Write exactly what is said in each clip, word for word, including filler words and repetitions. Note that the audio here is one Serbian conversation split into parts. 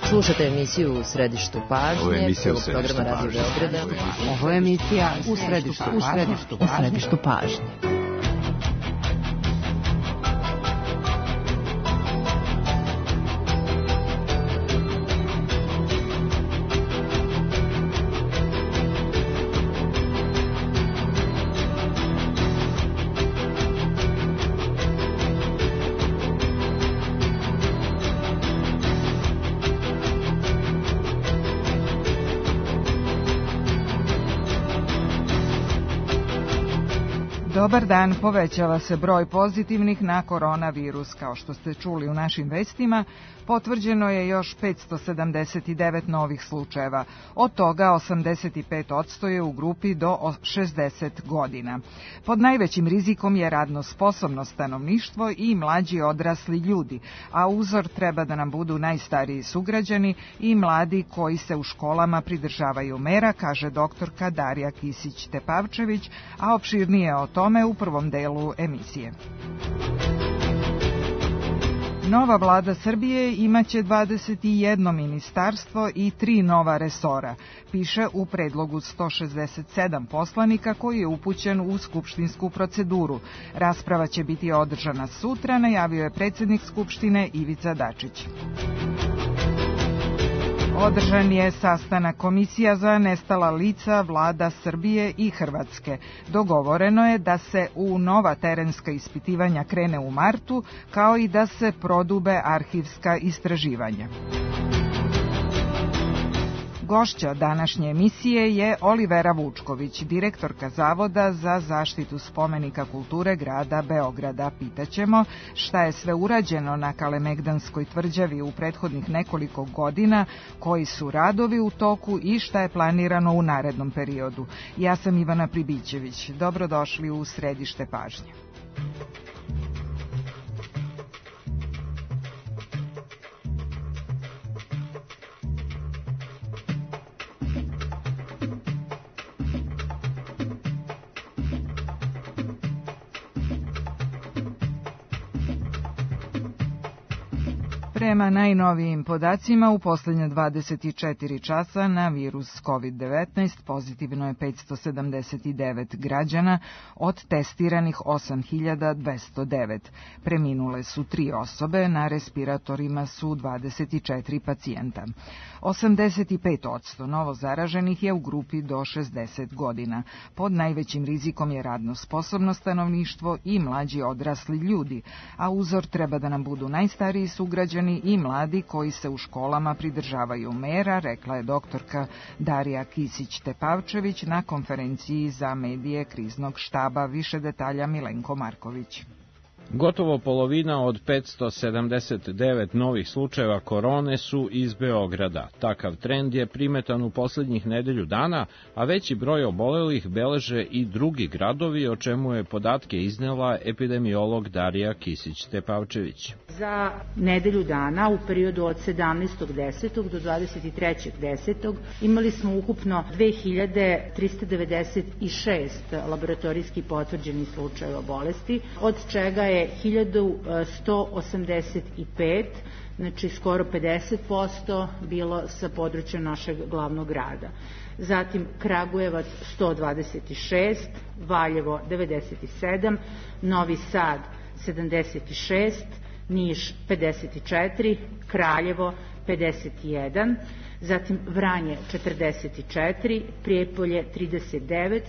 Slušate emisiju U središtu pažnje, prvog programa Radio Beograda. Ovo je emisija U središtu pažnje. U središtu pažnje. Dobar dan, povećava se broj pozitivnih na koronavirus. Kao što ste čuli u našim vestima, potvrđeno je još petsto sedamdeset devet novih slučajeva. Od toga osamdeset pet posto je u grupi do šezdeset godina. Pod najvećim rizikom je radno sposobno stanovništvo i mlađi odrasli ljudi, a uzor treba da nam budu najstariji sugrađani i mladi koji se u školama pridržavaju mera, kaže doktorka Darija Kisić-Tepavčević, a opširnije o tome u prvom delu emisije. Nova vlada Srbije imaće dvadeset jedno ministarstvo i tri nova resora, piše u predlogu sto šezdeset sedam poslanika koji je upućen u skupštinsku proceduru. Rasprava će biti održana sutra, najavio je predsjednik Skupštine Ivica Dačić. Održan je sastanak komisija za nestala lica vlada Srbije i Hrvatske. Dogovoreno je da se u nova terenska ispitivanja krene u martu, kao i da se prodube arhivska istraživanja. Gošća današnje emisije je Olivera Vučković, direktorka Zavoda za zaštitu spomenika kulture grada Beograda. Pitaćemo šta je sve urađeno na Kalemegdanskoj tvrđavi u prethodnih nekoliko godina, koji su radovi u toku i šta je planirano u narednom periodu. Ja sam Ivana Pribićević. Dobrodošli u središte pažnje. Prema najnovijim podacima, u posljednje dvadeset četiri časa na virus kovid devetnaest pozitivno je petsto sedamdeset devet građana od testiranih osam hiljada dvesta devet. Preminule su tri osobe, na respiratorima su dvadeset četiri pacijenta. osamdeset pet posto novo zaraženih je u grupi do šezdeset godina. Pod najvećim rizikom je radno sposobno stanovništvo i mlađi odrasli ljudi, a uzor treba da nam budu najstariji sugrađani i mladi koji se u školama pridržavaju mera, rekla je doktorka Darija Kisić-Tepavčević na konferenciji za medije kriznog štaba. Više detalja Milenko Marković. Gotovo polovina od petsto sedamdeset devet novih slučajeva korone su iz Beograda. Takav trend je primetan u poslednjih nedelju dana, a veći broj obolelih beleže i drugi gradovi, o čemu je podatke iznela epidemiolog Darija Kisić-Tepavčević. Za nedelju dana, u periodu od sedamnaestog desetog do dvadeset trećeg desetog imali smo ukupno dve hiljade trista devedeset šest laboratorijski potvrđenih slučajeva bolesti, od čega je hiljadu sto osamdeset pet, znači skoro pedeset posto, bilo sa područja našeg glavnog grada. Zatim Kragujevac sto dvadeset šest, Valjevo devedeset sedam, Novi Sad sedamdeset šest, Niš pedeset četiri, Kraljevo pedeset jedan, zatim Vranje četrdeset četiri, Prijepolje trideset devet,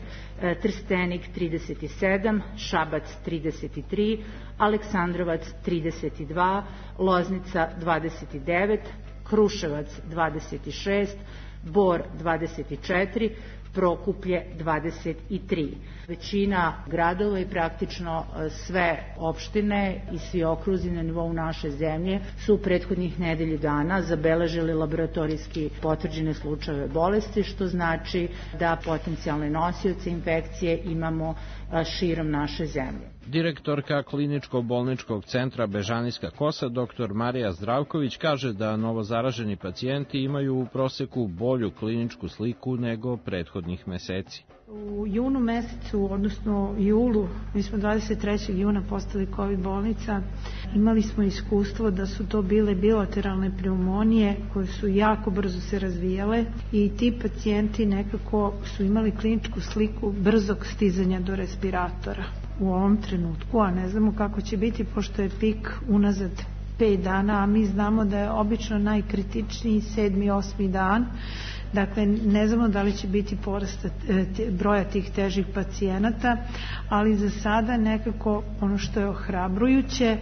Trstenik trideset sedam, Šabac trideset tri, Aleksandrovac trideset dva, Loznica dvadeset devet, Kruševac dvadeset šest, Bor dvadeset četiri, Prokuplje dvadeset tri. Većina gradova i praktično sve opštine i svi okruzi na nivou naše zemlje su u prethodnih nedelju dana zabeležili laboratorijski potvrđene slučajeve bolesti, što znači da potencijalne nosioce infekcije imamo širom naše zemlje. Direktorka kliničko-bolničkog centra Bežanijska Kosa, doktor Marija Zdravković, kaže da novozaraženi pacijenti imaju u proseku bolju kliničku sliku nego prethodnih meseci. U junu mesecu, odnosno julu, mi smo dvadeset trećeg juna postali COVID bolnica Imali smo iskustvo da su to bile bilateralne pneumonije koje su jako brzo se razvijale i ti pacijenti nekako su imali kliničku sliku brzog stizanja do respiratora u ovom trenutku, a ne znamo kako će biti pošto je pik unazad pet dana, a mi znamo da je obično najkritičniji sedmi, osmi dan. Dakle, ne znamo da li će biti porast broja tih težih pacijenata, ali za sada nekako ono što je ohrabrujuće,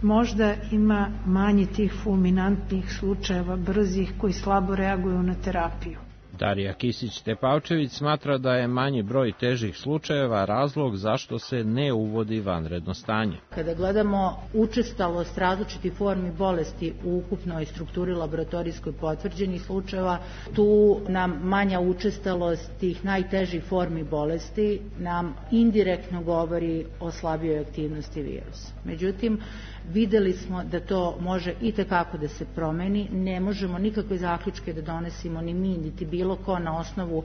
možda ima manje tih fulminantnih slučajeva brzih koji slabo reaguju na terapiju. Darija Kisić-Tepavčević smatra da je manji broj težih slučajeva razlog zašto se ne uvodi vanredno stanje. Kada gledamo učestalost različitih formi bolesti u ukupnoj strukturi laboratorijskoj potvrđenih slučajeva, tu nam manja učestalost tih najtežih formi bolesti nam indirektno govori o slabijoj aktivnosti virusa. Međutim, videli smo da to može i tekako da se promeni, ne možemo nikakve zaključke da donesimo ni mi, niti bilo ko na osnovu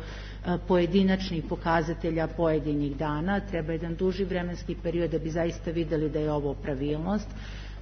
pojedinačnih pokazatelja pojedinih dana. Treba jedan duži vremenski period da bi zaista videli da je ovo pravilnost.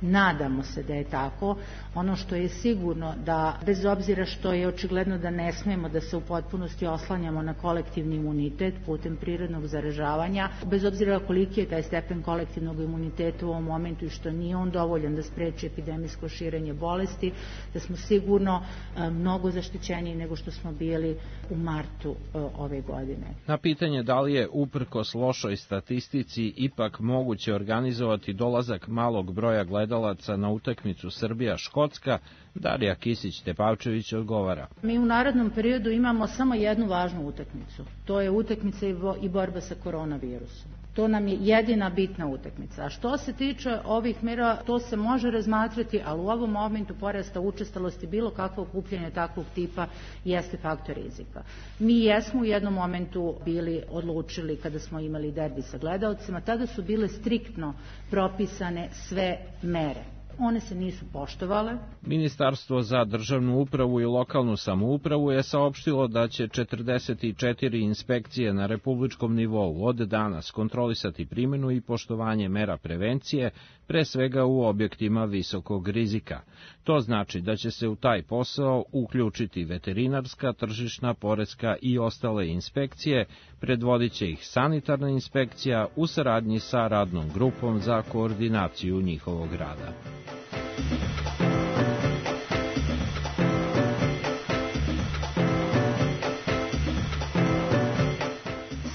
Nadamo se da je tako. Ono što je sigurno da, bez obzira što je očigledno da ne smemo da se u potpunosti oslanjamo na kolektivni imunitet putem prirodnog zaražavanja, bez obzira koliki je taj stepen kolektivnog imuniteta u ovom momentu i što nije on dovoljan da spreči epidemijsko širenje bolesti, da smo sigurno mnogo zaštićeniji nego što smo bili u martu ove godine. Na pitanje da li je uprkos lošoj statistici ipak moguće organizovati dolazak malog broja gledalaca na utakmicu Srbija-Škotska, Darija Kisić-Tepavčević odgovara. Mi u narednom periodu imamo samo jednu važnu utakmicu. To je utakmica i borba sa koronavirusom. To nam je jedina bitna utakmica. A što se tiče ovih mera, to se može razmatrati, ali u ovom momentu porasta učestalosti bilo kakvo okupljanje takvog tipa jeste faktor rizika. Mi jesmo u jednom momentu bili odlučili kada smo imali derbi sa gledaocima, tada su bile striktno propisane sve mere. One se nisu poštovale. Ministarstvo za državnu upravu i lokalnu samoupravu je saopštilo da će četrdeset četiri inspekcije na republičkom nivou od danas kontrolisati primjenu i poštovanje mera prevencije, pre svega u objektima visokog rizika. To znači da će se u taj posao uključiti veterinarska, tržišna, poreska i ostale inspekcije, predvodit će ih sanitarna inspekcija u saradnji sa radnom grupom za koordinaciju njihovog rada.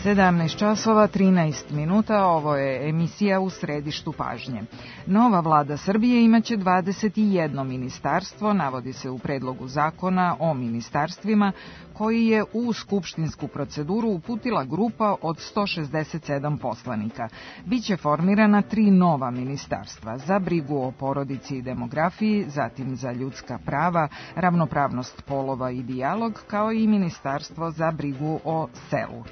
sedamnaest časova trinaest minuta, ovo je emisija U središtu pažnje. Nova vlada Srbije imaće dvadeset jedno ministarstvo, navodi se u predlogu zakona o ministarstvima, koji je u skupštinsku proceduru uputila grupa od sto šezdeset sedam poslanika. Biće formirana tri nova ministarstva, za brigu o porodici i demografiji, zatim za ljudska prava, ravnopravnost polova i dijalog, kao i ministarstvo za brigu o selu.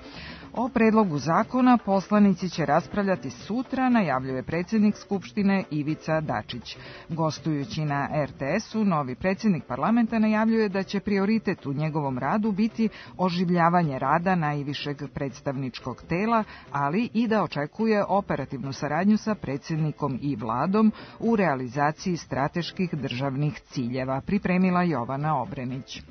O predlogu zakona poslanici će raspravljati sutra, najavljuje predsjednik Skupštine Ivica Dačić. Gostujući na er te esu, novi predsjednik parlamenta najavljuje da će prioritet u njegovom radu biti oživljavanje rada najvišeg predstavničkog tela, ali i da očekuje operativnu saradnju sa predsjednikom i vladom u realizaciji strateških državnih ciljeva, pripremila Jovana Obrenić.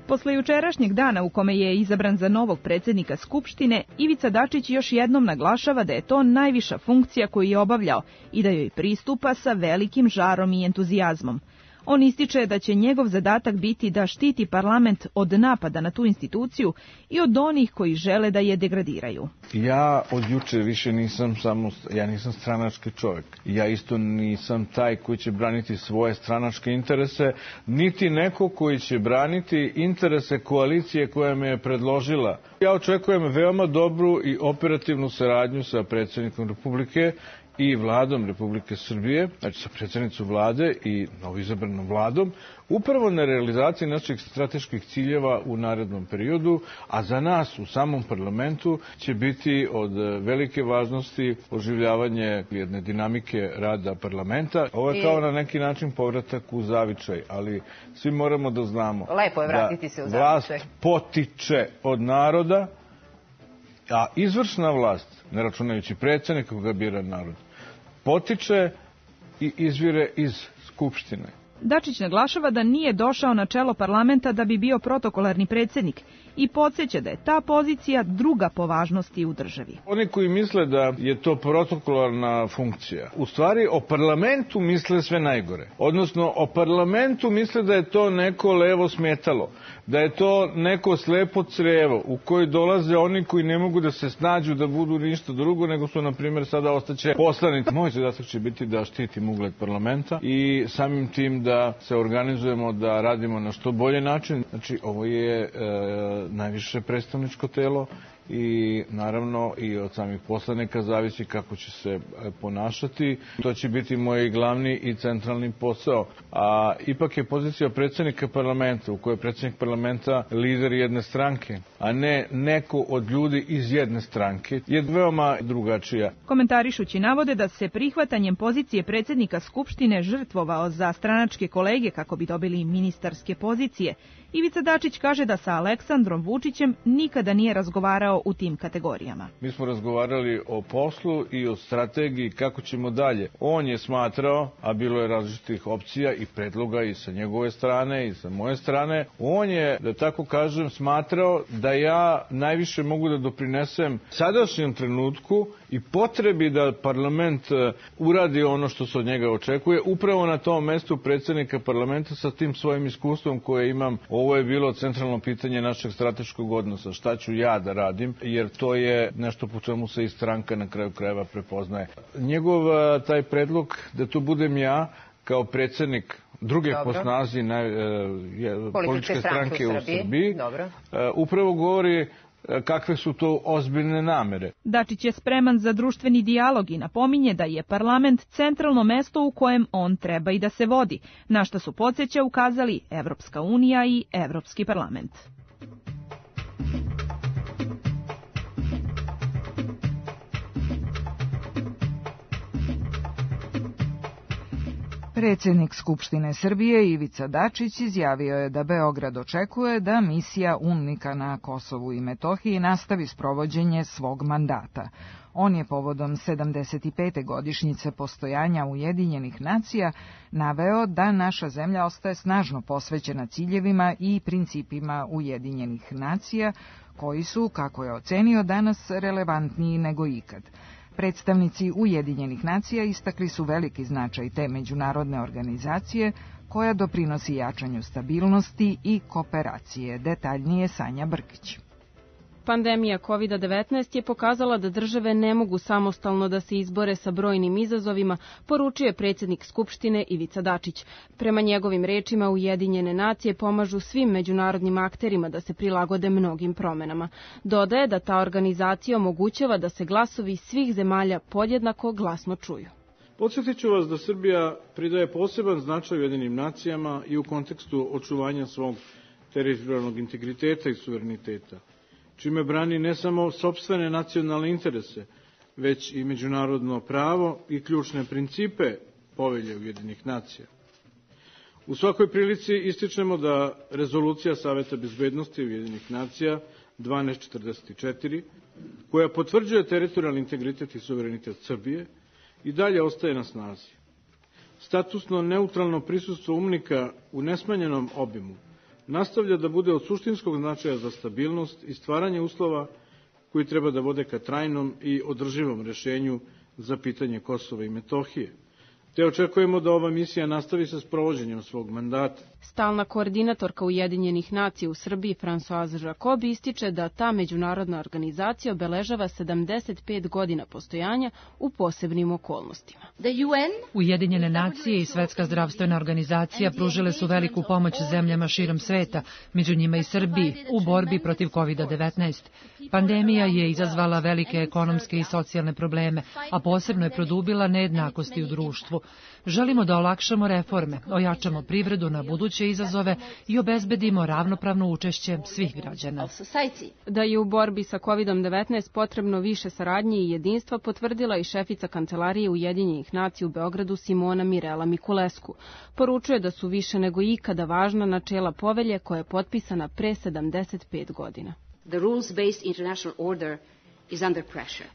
Posle jučerašnjeg dana u kome je izabran za novog predsjednika Skupštine, Ivica Dačić još jednom naglašava da je to najviša funkcija koju je obavljao i da joj pristupa sa velikim žarom i entuzijazmom. On ističe da će njegov zadatak biti da štiti parlament od napada na tu instituciju i od onih koji žele da je degradiraju. Ja od juče više nisam samo, ja nisam stranački čovjek. Ja isto nisam taj koji će braniti svoje stranačke interese, niti neko koji će braniti interese koalicije koja me je predložila. Ja očekujem veoma dobru i operativnu saradnju sa predsjednikom Republike i vladom Republike Srbije, znači sa predsjednicom vlade i novoizabranom vladom, upravo na realizaciji naših strateških ciljeva u narednom periodu, a za nas u samom parlamentu će biti od velike važnosti oživljavanje jedne dinamike rada parlamenta. Ovo je kao na neki način povratak u zavičaj, ali svi moramo da znamo Lepo je vratiti se u da vlast potiče od naroda, a izvršna vlast, ne računajući predsjednika koga bira narod, potiče i izvire iz Skupštine. Dačić naglašava da nije došao na čelo parlamenta da bi bio protokolarni predsjednik i podsjeća da je ta pozicija druga po važnosti u državi. Oni koji misle da je to protokolarna funkcija, u stvari o parlamentu misle sve najgore. Odnosno, o parlamentu misle da je to neko levo smetalo, da je to neko slepo crevo u koji dolaze oni koji ne mogu da se snađu da budu ništa drugo, nego su, na primjer, sada ostaće poslanici. Moj zadatak će biti da štitim ugled parlamenta i samim tim da se organizujemo, da radimo na što bolje način. Znači, ovo je e, najviše predstavničko telo i naravno i od samih poslanika zavisi kako će se ponašati. To će biti moj glavni i centralni posao. A ipak je pozicija predsjednika parlamenta, u kojoj je predsjednik parlamenta lider jedne stranke, a ne neko od ljudi iz jedne stranke, je veoma drugačija. Komentarišući navode da se prihvatanjem pozicije predsjednika Skupštine žrtvovao za stranačke kolege kako bi dobili ministarske pozicije, Ivica Dačić kaže da sa Aleksandrom Vučićem nikada nije razgovarao u tim kategorijama. Mi smo razgovarali o poslu i o strategiji kako ćemo dalje. On je smatrao, a bilo je različitih opcija i predloga i sa njegove strane i sa moje strane, on je, da tako kažem, smatrao da ja najviše mogu da doprinesem sadašnjem trenutku i potrebi da parlament uradi ono što se od njega očekuje, upravo na tom mestu predsjednika parlamenta sa tim svojim iskustvom koje imam. Ovo je bilo centralno pitanje našeg strateškog odnosa. Šta ću ja da radim, jer to je nešto po čemu se i stranka na kraju krajeva prepoznaje. Njegov taj predlog da to budem ja kao predsjednik druge Dobro. po snazi na, je, političke stranke u Srbiji, u Srbiji upravo govori kakve su to ozbiljne namere. Dačić je spreman za društveni dijalog i napominje da je parlament centralno mesto u kojem on treba i da se vodi, na što su podsjeća ukazali Evropska unija i Evropski parlament. Predsjednik Skupštine Srbije Ivica Dačić izjavio je da Beograd očekuje da misija UNMIK-a na Kosovu i Metohiji nastavi sprovođenje svog mandata. On je povodom sedamdeset pete godišnjice postojanja Ujedinjenih nacija naveo da naša zemlja ostaje snažno posvećena ciljevima i principima Ujedinjenih nacija, koji su, kako je ocenio, danas relevantniji nego ikad. Predstavnici Ujedinjenih nacija istakli su veliki značaj te međunarodne organizacije koja doprinosi jačanju stabilnosti i kooperacije. Detaljnije Sanja Brkić. Pandemija kovid devetnaest je pokazala da države ne mogu samostalno da se izbore sa brojnim izazovima, poručio je predsjednik Skupštine Ivica Dačić. Prema njegovim rečima, Ujedinjene nacije pomažu svim međunarodnim akterima da se prilagode mnogim promenama. Dodaje da ta organizacija omogućava da se glasovi svih zemalja podjednako glasno čuju. Podsjetit ću vas da Srbija pridaje poseban značaj Ujedinjenim nacijama i u kontekstu očuvanja svog teritorijalnog integriteta i suvereniteta, čime brani ne samo sopstvene nacionalne interese, već i međunarodno pravo i ključne principe Povelje Ujedinjenih nacija. U svakoj prilici ističemo da rezolucija Saveta bezbednosti Ujedinjenih nacija dvanaest četrdeset četiri, koja potvrđuje teritorijalni integritet i suverenitet Srbije, i dalje ostaje na snazi. Statusno neutralno prisustvo UNMIK-a u nesmanjenom obimu nastavlja da bude od suštinskog značaja za stabilnost i stvaranje uslova koji treba da vode ka trajnom i održivom rešenju za pitanje Kosova i Metohije. Te očekujemo da ova misija nastavi sa sprovođenjem svog mandata. Stalna koordinatorka Ujedinjenih nacija u Srbiji Françoise Jacob ističe da ta međunarodna organizacija obeležava sedamdeset pet godina postojanja u posebnim okolnostima. Ujedinjene nacije i Svetska zdravstvena organizacija pružile su veliku pomoć zemljama širom sveta, među njima i Srbiji, u borbi protiv kovid devetnaest. Pandemija je izazvala velike ekonomske i socijalne probleme, a posebno je produbila nejednakosti u društvu. Želimo da olakšamo reforme, ojačamo privredu na buduće izazove i obezbedimo ravnopravno učešće svih građana. Da je u borbi sa kovid devetnaest potrebno više saradnje i jedinstva potvrdila i šefica Kancelarije Ujedinjenih nacija u Beogradu Simona Mirela Mikulescu. Poručuje da su više nego ikada važna načela Povelje koja je potpisana pre sedamdeset pet godina. The rules-based international order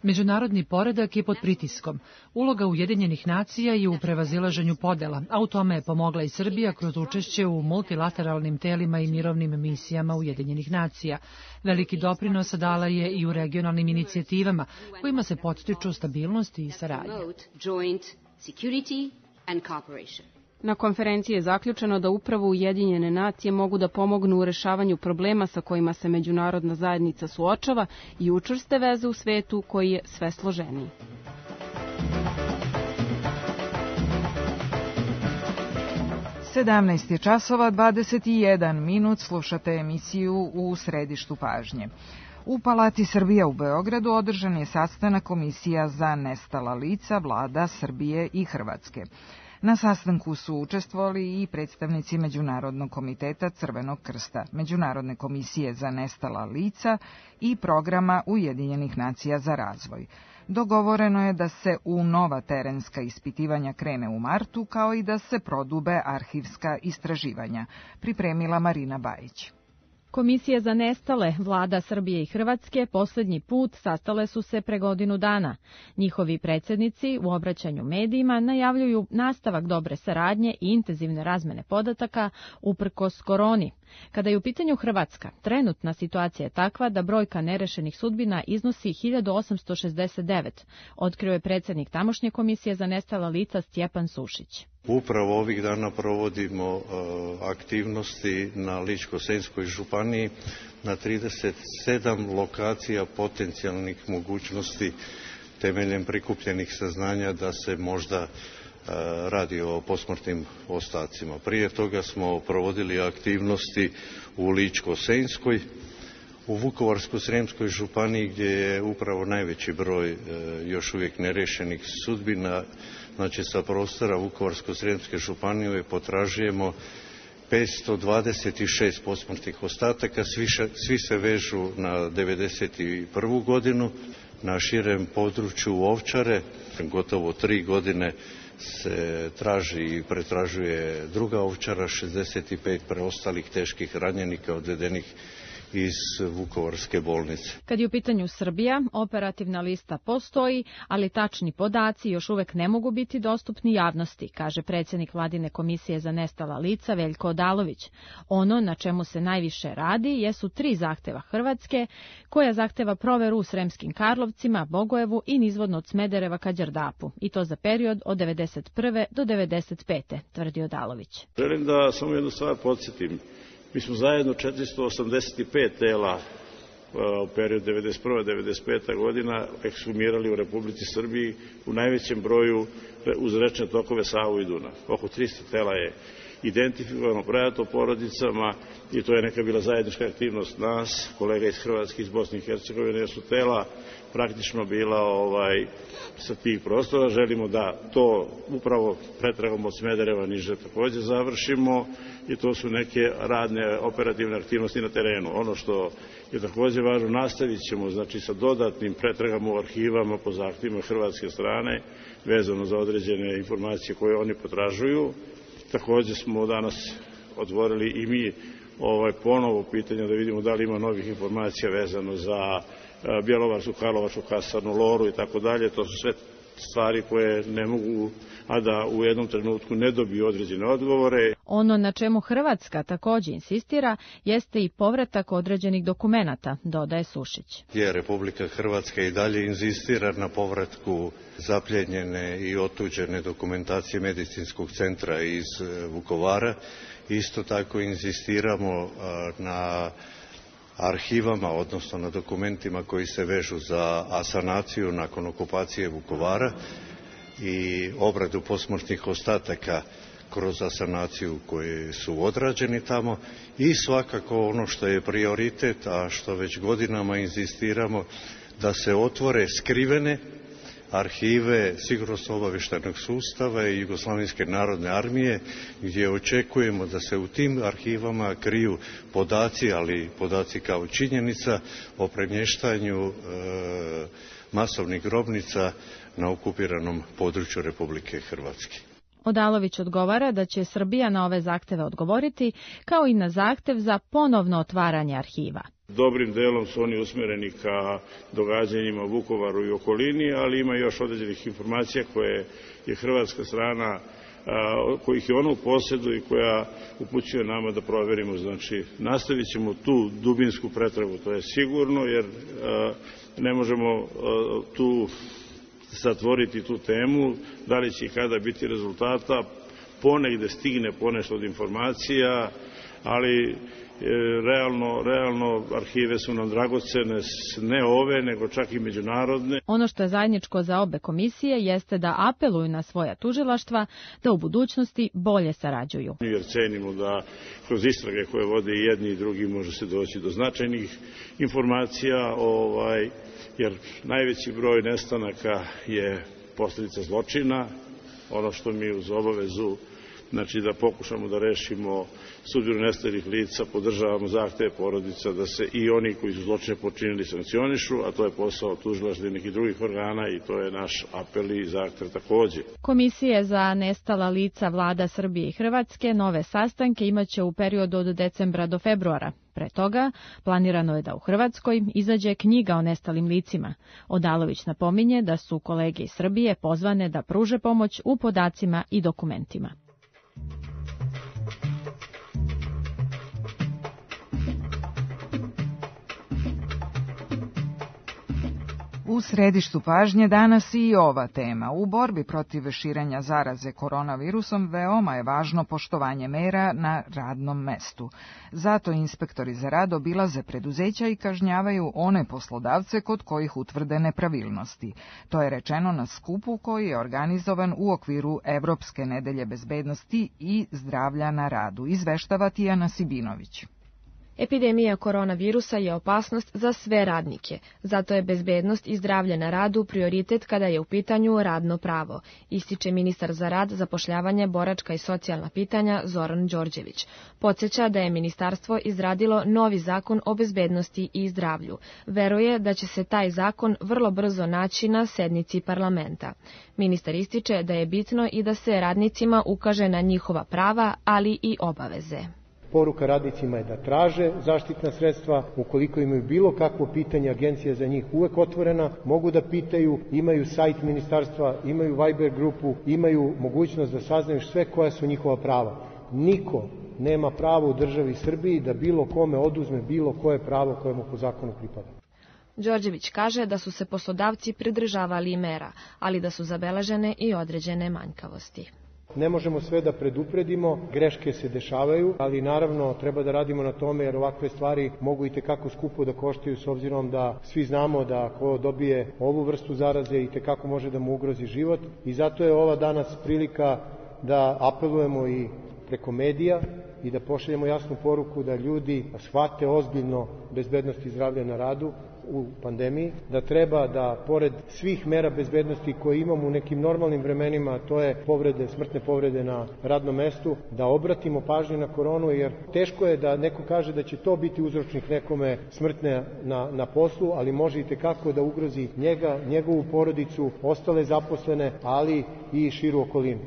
Međunarodni poredak je pod pritiskom. Uloga Ujedinjenih nacija je u prevazilaženju podela, a u tome je pomogla i Srbija kroz učešće u multilateralnim telima i mirovnim misijama Ujedinjenih nacija. Veliki doprinos dala je i u regionalnim inicijativama, kojima se podstiču stabilnost i saradnja. Na konferenciji je zaključeno da upravo Ujedinjene nacije mogu da pomognu u rešavanju problema sa kojima se međunarodna zajednica suočava i učvrste veze u svetu koji je sve složeniji. sedamnaest je časova dvadeset jedan minut, slušate emisiju U središtu pažnje. U Palati Srbija u Beogradu održan je sastanak Komisija za nestala lica vlada Srbije i Hrvatske. Na sastanku su učestvovali i predstavnici Međunarodnog komiteta Crvenog krsta, Međunarodne komisije za nestala lica i programa Ujedinjenih nacija za razvoj. Dogovoreno je da se u nova terenska ispitivanja krene u martu, kao i da se prodube arhivska istraživanja, pripremila Marina Bajić. Komisije za nestale vlada Srbije i Hrvatske poslednji put sastale su se pre godinu dana. Njihovi predsjednici u obraćanju medijima najavljuju nastavak dobre saradnje i intenzivne razmene podataka uprkos koroni. Kada je u pitanju Hrvatska, trenutna situacija je takva da brojka nerešenih sudbina iznosi hiljadu osamsto šezdeset devet, otkrio je predsjednik tamošnje komisije za nestala lica Stjepan Sušić. Upravo ovih dana provodimo uh, aktivnosti na Ličko-senjskoj županiji na trideset sedam lokacija potencijalnih mogućnosti temeljem prikupljenih saznanja da se možda uh, radi o posmrtnim ostacima. Prije toga smo provodili aktivnosti u Ličko-senjskoj, u Vukovarsko-srijemskoj županiji gdje je upravo najveći broj uh, još uvijek nerešenih sudbina. Znači, sa prostora Vukovarsko-srijemske županije potražujemo petsto dvadeset šest posmrtnih ostataka, svi, svi se vežu na devedeset prvu godinu. Na širem području Ovčare gotovo tri godine se traži i pretražuje druga Ovčara, šezdeset pet preostalih teških ranjenika odvedenih iz Vukovarske bolnice. Kad je u pitanju Srbija, operativna lista postoji, ali tačni podaci još uvek ne mogu biti dostupni javnosti, kaže predsjednik Vladine komisije za nestala lica Veljko Odalović. Ono na čemu se najviše radi jesu tri zahteva Hrvatske, koja zahteva proveru u Sremskim Karlovcima, Bogojevu i nizvodno od Smedereva ka Đerdapu, i to za period od devedeset prve do devedeset pete, tvrdi Odalović. Želim da samo jednu stvar podsjetim. Mi smo zajedno četiristo osamdeset pet tela u periodu devedeset prva do devedeset peta godina ekshumirali u Republici Srbiji u najvećem broju uz rečne tokove Savu i Dunav. Oko tristo tela je identifikovano, predato porodicama i to je neka bila zajednička aktivnost nas, kolega iz Hrvatske, iz Bosne i Hercegovine, jer su tela praktično bila ovaj, sa tih prostora. Želimo da to upravo pretragom od Smedereva niže također završimo i to su neke radne operativne aktivnosti na terenu. Ono što je također važno, nastavit ćemo znači, sa dodatnim pretragama u arhivama po zahtjevima hrvatske strane vezano za određene informacije koje oni potražuju. Također smo danas otvorili i mi ovaj, ponovo pitanje da vidimo da li ima novih informacija vezano za Bjelovarsku, Karlovačku, Kasarnu, Loru i tako dalje. To su sve stvari koje ne mogu, a da u jednom trenutku ne dobiju određene odgovore. Ono na čemu Hrvatska također insistira jeste i povratak određenih dokumenata, dodaje Sušić. Je, Republika Hrvatska i dalje inzistira na povratku zapljenjene i otuđene dokumentacije medicinskog centra iz Vukovara. Isto tako inzistiramo na arhivama, odnosno na dokumentima koji se vežu za asanaciju nakon okupacije Vukovara i obradu posmrtnih ostataka kroz asanaciju koje su odrađeni tamo i svakako ono što je prioritet, a što već godinama inzistiramo, da se otvore skrivene arhive sigurnosno-obavještajnog sustava i Jugoslavenske narodne armije, gdje očekujemo da se u tim arhivama kriju podaci, ali podaci kao činjenica o premještanju e, masovnih grobnica na okupiranom području Republike Hrvatske. Odalović odgovara da će Srbija na ove zahteve odgovoriti, kao i na zahtev za ponovno otvaranje arhiva. Dobrim delom su oni usmereni ka događanjima u Vukovaru i okolini, ali ima još određenih informacija koje je hrvatska strana, kojih je ona u posjedu i koja upućuje nama da proverimo. Znači, nastavit ćemo tu dubinsku pretragu, to je sigurno, jer ne možemo tu zatvoriti tu temu, da li će i kada biti rezultata, ponegde stigne ponešto od informacija, ali realno, realno arhive su nam dragocene, ne ove, nego čak i međunarodne. Ono što je zajedničko za obe komisije jeste da apeluju na svoja tužilaštva da u budućnosti bolje sarađuju. Jer cenimo da kroz istrage koje vode i jedni i drugi može se doći do značajnih informacija, ovaj, jer najveći broj nestanaka je posljedica zločina. Ono što mi uz obavezu, znači da pokušamo da rešimo sudbinu nestalih lica, podržavamo zahteve porodica da se i oni koji su zločine počinili sankcionišu, a to je posao tužilaštva i nekih drugih organa i to je naš apel i zahtev takođe. Komisije za nestala lica vlada Srbije i Hrvatske nove sastanke imaće u periodu od decembra do februara. Pre toga, planirano je da u Hrvatskoj izađe knjiga o nestalim licima. Odalović napominje da su kolege iz Srbije pozvane da pruže pomoć u podacima i dokumentima. U središtu pažnje danas i ova tema. U borbi protiv širenja zaraze koronavirusom veoma je važno poštovanje mera na radnom mestu. Zato inspektori za rad obilaze preduzeća i kažnjavaju one poslodavce kod kojih utvrde nepravilnosti. To je rečeno na skupu koji je organizovan u okviru Evropske nedelje bezbednosti i zdravlja na radu, izveštava Tijana Sibinović. Epidemija koronavirusa je opasnost za sve radnike, zato je bezbednost i zdravlje na radu prioritet kada je u pitanju radno pravo, ističe ministar za rad, zapošljavanje, boračka i socijalna pitanja Zoran Đorđević. Podsjeća da je ministarstvo izradilo novi zakon o bezbednosti i zdravlju. Veruje da će se taj zakon vrlo brzo naći na sednici parlamenta. Ministar ističe da je bitno i da se radnicima ukaže na njihova prava, ali i obaveze. Poruka radnicima je da traže zaštitna sredstva, ukoliko imaju bilo kakvo pitanje, agencija za njih uvek otvorena, mogu da pitaju, imaju sajt ministarstva, imaju Viber grupu, imaju mogućnost da saznaju sve koja su njihova prava. Niko nema pravo u državi Srbiji da bilo kome oduzme bilo koje pravo koje mu po zakonu pripada. Đorđević kaže da su se poslodavci pridržavali mera, ali da su zabeležene i određene manjkavosti. Ne možemo sve da predupredimo, greške se dešavaju, ali naravno treba da radimo na tome jer ovakve stvari mogu i tekako skupo da koštaju s obzirom da svi znamo da ko dobije ovu vrstu zaraze i tekako može da mu ugrozi život i zato je ova danas prilika da apelujemo i preko medija i da pošaljemo jasnu poruku da ljudi shvate ozbiljno bezbednost i zdravlje na radu u pandemiji, da treba da pored svih mera bezbednosti koje imamo u nekim normalnim vremenima, to je povrede, smrtne povrede na radnom mestu, da obratimo pažnju na koronu, jer teško je da neko kaže da će to biti uzročnik nekome smrtne na, na poslu, ali može i tekako da ugrozi njega, njegovu porodicu, ostale zaposlene, ali i širu okolinu.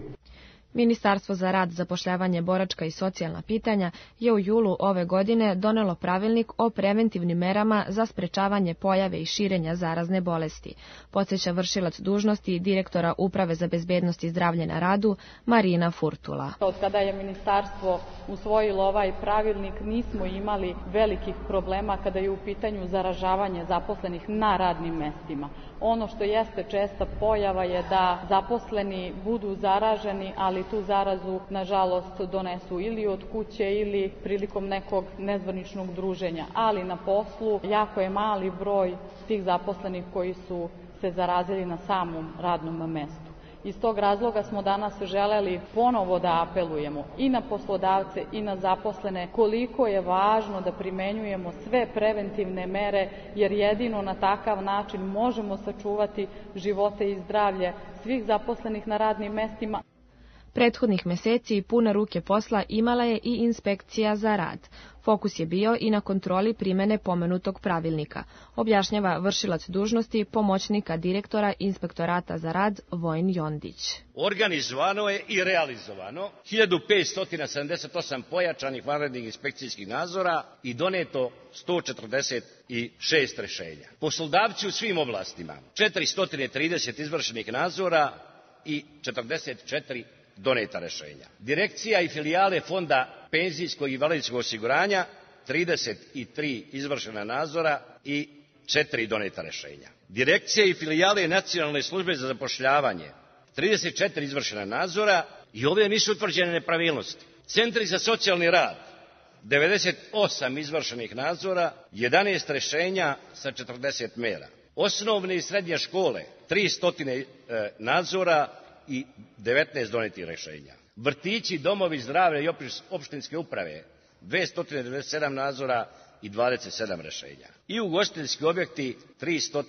Ministarstvo za rad, zapošljavanje, boračka i socijalna pitanja je u julu ove godine donelo pravilnik o preventivnim merama za sprečavanje pojave i širenja zarazne bolesti. Podsjeća vršilac dužnosti direktora Uprave za bezbednost i zdravlje na radu Marina Furtula. Od kada je ministarstvo usvojilo ovaj pravilnik nismo imali velikih problema kada je u pitanju zaražavanje zaposlenih na radnim mestima. Ono što jeste česta pojava je da zaposleni budu zaraženi, ali tu zarazu, nažalost, donesu ili od kuće ili prilikom nekog nezvaničnog druženja. Ali na poslu jako je mali broj tih zaposlenih koji su se zarazili na samom radnom mestu. Iz tog razloga smo danas želeli ponovo da apelujemo i na poslodavce i na zaposlene koliko je važno da primenjujemo sve preventivne mere, jer jedino na takav način možemo sačuvati živote i zdravlje svih zaposlenih na radnim mestima. Prethodnih meseci pune ruke posla imala je i inspekcija za rad. Fokus je bio i na kontroli primene pomenutog pravilnika, objašnjava vršilac dužnosti pomoćnika direktora Inspektorata za rad Vojin Jondić. Organizovano je i realizovano hiljadu petsto sedamdeset osam pojačanih vanrednih inspekcijskih nadzora i doneto sto četrdeset šest rešenja. Poslodavci u svim oblastima četiristo trideset izvršenih nadzora i četrdeset četiri doneta rešenja. Direkcija i filijale Fonda penzijskog i invalidskog osiguranja trideset tri izvršena nadzora i četiri doneta rešenja. Direkcija i filijale Nacionalne službe za zapošljavanje trideset četiri izvršena nadzora i ove nisu utvrđene nepravilnosti. Centri za socijalni rad devedeset osam izvršenih nadzora, jedanaest rešenja sa četrdeset mera. Osnovne i srednje škole tristo nadzora i devetnaest donetih rešenja. Vrtići, domovi zdravlja i opštinske uprave dvesta devedeset sedam nadzora i dvadeset sedam rešenja. I ugostiteljski objekti tristo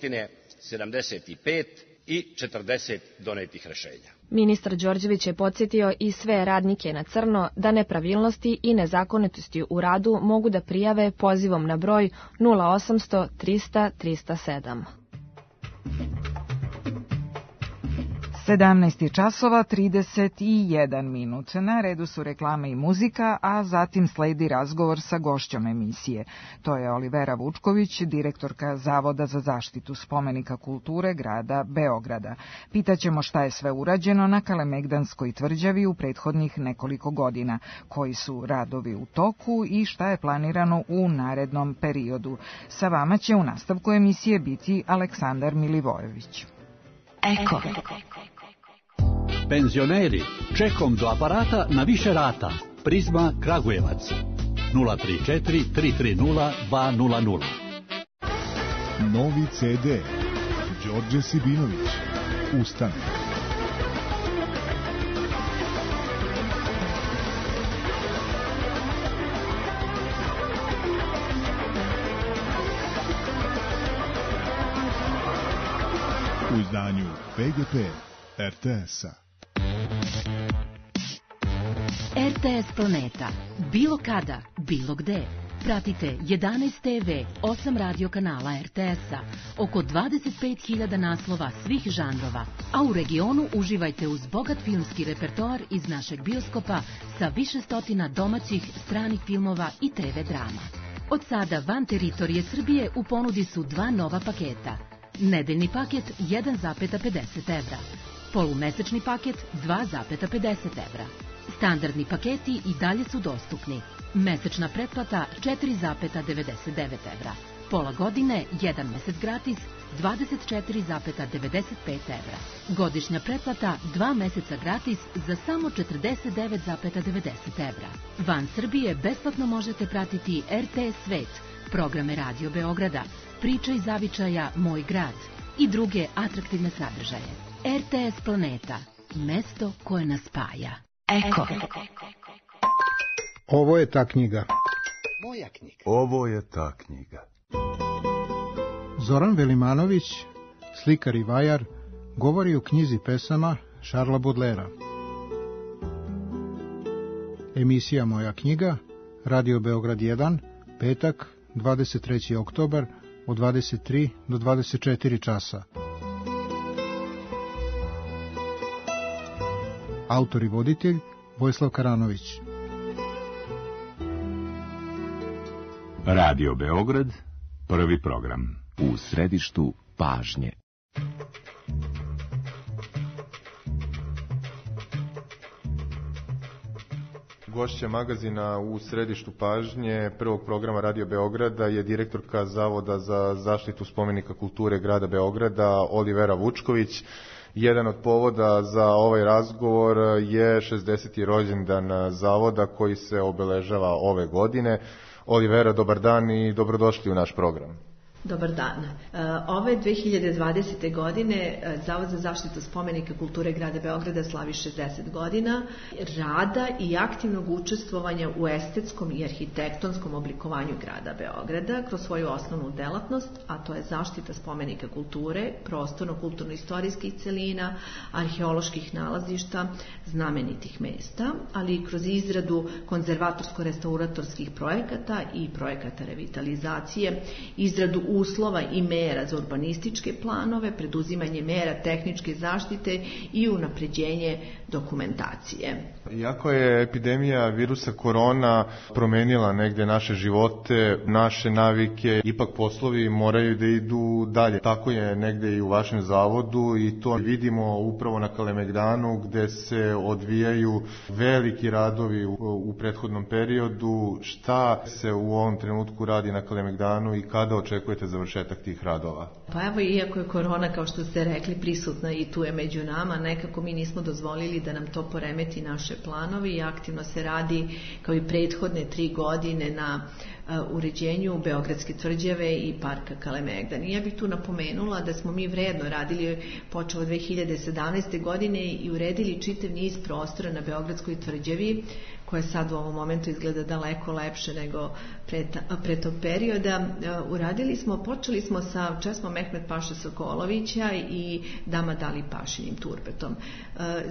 sedamdeset pet i četrdeset donetih rešenja. Ministar Đorđević je podsjetio i sve radnike na crno da nepravilnosti i nezakonitosti u radu mogu da prijave pozivom na broj nula osamsto trista trista sedam. sedamnaest časova trideset jedan minut. Na redu su reklame i muzika, a zatim sledi razgovor sa gošćom emisije. To je Olivera Vučković, direktorka Zavoda za zaštitu spomenika kulture grada Beograda. Pitaćemo šta je sve urađeno na Kalemegdanskoj tvrđavi u prethodnih nekoliko godina, koji su radovi u toku i šta je planirano u narednom periodu. Sa vama će u nastavku emisije biti Aleksandar Milivojević. Eko. Penzioneri, čekom do aparata na više rata. Prizma Kragujevac. nula tri četiri tri tri nula dva nula nula. Novi ce de. Đorđe Sibinović. Ustane. U izdanju pe ge pe er te esa. er te es Planeta. Bilo kada, bilo gde. Pratite jedanaest te ve, osam radio kanala er te esa, oko dvadeset pet hiljada naslova svih žanrova, a u regionu uživajte uz bogat filmski repertoar iz našeg bioskopa sa više stotina domaćih, stranih filmova i te ve drama. Od sada van teritorije Srbije u ponudi su dva nova paketa. Nedeljni paket jedan zarez pedeset evra, polumesečni paket dva zarez pedeset evra. Standardni paketi i dalje su dostupni. Mesečna pretplata četiri zarez devedeset devet evra. Pola godine, jedan mesec gratis, dvadeset četiri zarez devedeset pet evra. Godišnja pretplata, dva meseca gratis za samo četrdeset devet zarez devedeset evra. Van Srbije besplatno možete pratiti er te es Svet, programe Radio Beograda, Priča iz zavičaja Moj grad i druge atraktivne sadržaje. er te es Planeta, mesto koje nas spaja. Eko. Ovo je ta knjiga. Moja knjiga. Ovo je ta knjiga. Zoran Velimanović, slikar i vajar, govori o knjizi pesama Šarla Bodlera. Emisija Moja knjiga, Radio Beograd jedan, petak, dvadeset treći oktobar, od dvadeset tri do dvadeset četiri časa. Autor i voditelj Vojislav Karanović. Radio Beograd, prvi program. U središtu pažnje. Gošća magazina u središtu pažnje prvog programa Radio Beograda je direktorka Zavoda za zaštitu spomenika kulture grada Beograda Olivera Vučković. Jedan od povoda za ovaj razgovor je šezdeseti rođendan Zavoda koji se obeležava ove godine. Olivera, dobar dan i dobrodošli u naš program. Dobar dan. Ove dve hiljade dvadesete. godine Zavod za zaštitu spomenika kulture grada Beograda slavi šezdeset godina rada i aktivnog učestvovanja u estetskom i arhitektonskom oblikovanju grada Beograda kroz svoju osnovnu delatnost, a to je zaštita spomenika kulture, prostorno-kulturno-istorijskih celina, arheoloških nalazišta, znamenitih mesta, ali i kroz izradu konzervatorsko-restauratorskih projekata i projekata revitalizacije, izradu uslova i mera za urbanističke planove, preduzimanje mera tehničke zaštite i unapređenje dokumentacije. Iako je epidemija virusa korona promenila negde naše živote, naše navike, ipak poslovi moraju da idu dalje. Tako je negde i u vašem zavodu i to vidimo upravo na Kalemegdanu gde se odvijaju veliki radovi u, u prethodnom periodu. Šta se u ovom trenutku radi na Kalemegdanu i kada očekujete završetak tih radova? Pa evo, iako je korona, kao što ste rekli, prisutna i tu je među nama, nekako mi nismo dozvolili da nam to poremeti naše planovi i aktivno se radi kao i prethodne tri godine na uh, uređenju Beogradske tvrđave i parka Kalemegdan. I ja bih tu napomenula da smo mi vredno radili počeo od dve hiljade sedamnaeste. godine i uredili čitav niz prostora na Beogradskoj tvrđavi, koje sad u ovom momentu izgleda daleko lepše nego pre, pre tog perioda. Uradili smo, počeli smo sa česmom Mehmet Paše Sokolovića i Dama Dali Pašinim turbetom.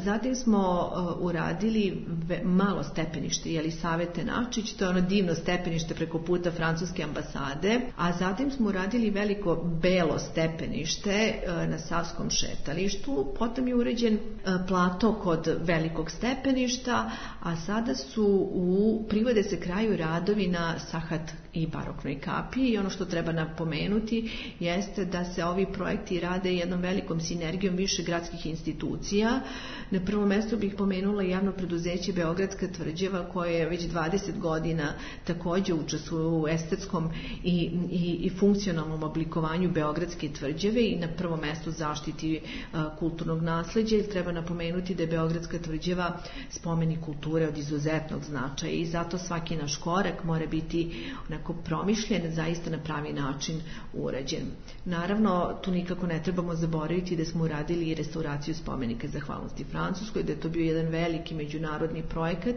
Zatim smo uradili malo stepenište Jelisavete Načić, to je ono divno stepenište preko puta francuske ambasade, a zatim smo uradili veliko belo stepenište na Savskom šetalištu, potom je uređen plato kod velikog stepeništa, a sada su u privode se kraju radovi na Sahat i baroknoj kapiji i ono što treba napomenuti jeste da se ovi projekti rade jednom velikom sinergijom više gradskih institucija. Na prvom mjestu bih pomenula javno preduzeće Beogradska tvrđava koje je već dvadeset godina također učestvuje u estetskom i, i, i funkcionalnom oblikovanju Beogradske tvrđave i na prvom mjestu zaštiti uh, kulturnog nasleđa. Treba napomenuti da je Beogradska tvrđava spomenik kulture od izuzetnog značaja i zato svaki naš korak mora biti onako promišljen, zaista na pravi način urađen. Naravno, tu nikako ne trebamo zaboraviti da smo uradili i restauraciju spomenika zahvalnosti Francuskoj, da je to bio jedan veliki međunarodni projekat.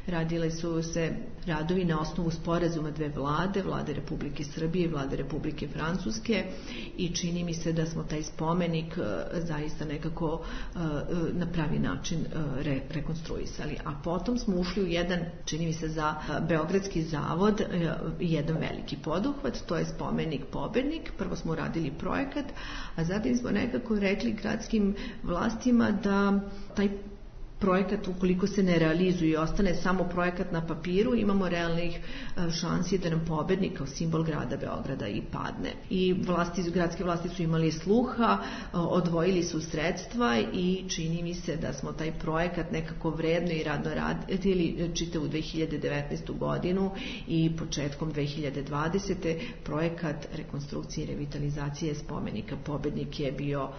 Radile su se radovi na osnovu sporazuma dve vlade, vlade Republike Srbije i vlade Republike Francuske i čini mi se da smo taj spomenik uh, zaista nekako uh, na pravi način uh, re, rekonstruisali. A potom smo ušli u jedan, čini mi se za uh, Beogradski zavod, uh, jedan veliki poduhvat, to je spomenik Pobednik. Prvo smo uradili projekat, a zatim smo nekako rekli gradskim vlastima da taj projekat, ukoliko se ne realizuje i ostane samo projekat na papiru, imamo realnih šansi da nam Pobednik kao simbol grada Beograda i padne. I vlasti, gradske vlasti su imali sluha, odvojili su sredstva i čini mi se da smo taj projekat nekako vredno i radno radili čitavu dve hiljade devetnaestu. godinu i početkom dve hiljade dvadesete. projekat rekonstrukcije i revitalizacije spomenika Pobednik je bio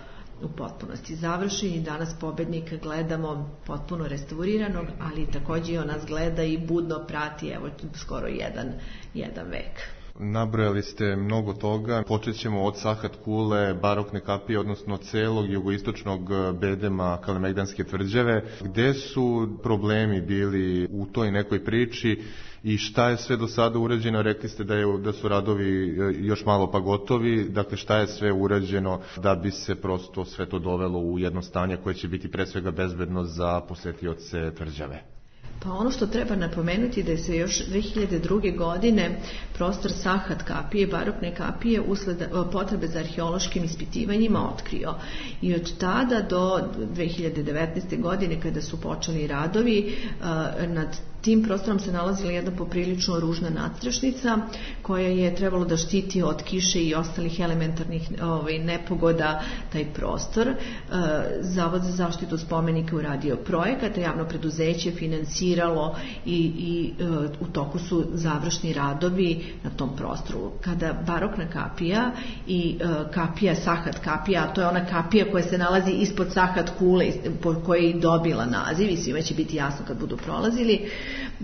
u potpunosti završen i danas Pobednika gledamo potpuno restauriranog, ali također i on nas gleda i budno prati evo skoro jedan, jedan vek. Nabrojali ste mnogo toga. Počet ćemo od Sahat kule, barokne kapije, odnosno celog jugoistočnog bedema Kalemegdanske tvrđave. Gde su problemi bili u toj nekoj priči i šta je sve do sada urađeno? Rekli ste da, je, da su radovi još malo pa gotovi. Dakle, šta je sve urađeno da bi se prosto sve to dovelo u jedno stanje koje će biti pre svega bezbedno za posetioce tvrđave? Pa ono što treba napomenuti da se još dve hiljade druge. godine prostor Sahat kapije, barokne kapije, usled potrebe za arheološkim ispitivanjima otkrio. I od tada do dve hiljade devetnaeste. godine kada su počeli radovi nad tim prostorom se nalazila jedna poprilično ružna nadstrešnica koja je trebalo da štiti od kiše i ostalih elementarnih ovaj, nepogoda taj prostor. Zavod za zaštitu spomenika uradio projekat, javno preduzeće finansiralo i, i u toku su završni radovi na tom prostoru. Kada barokna kapija i kapija Sahat kapija, a to je ona kapija koja se nalazi ispod Sahat kule po kojoj je dobila naziv i svima će biti jasno kad budu prolazili,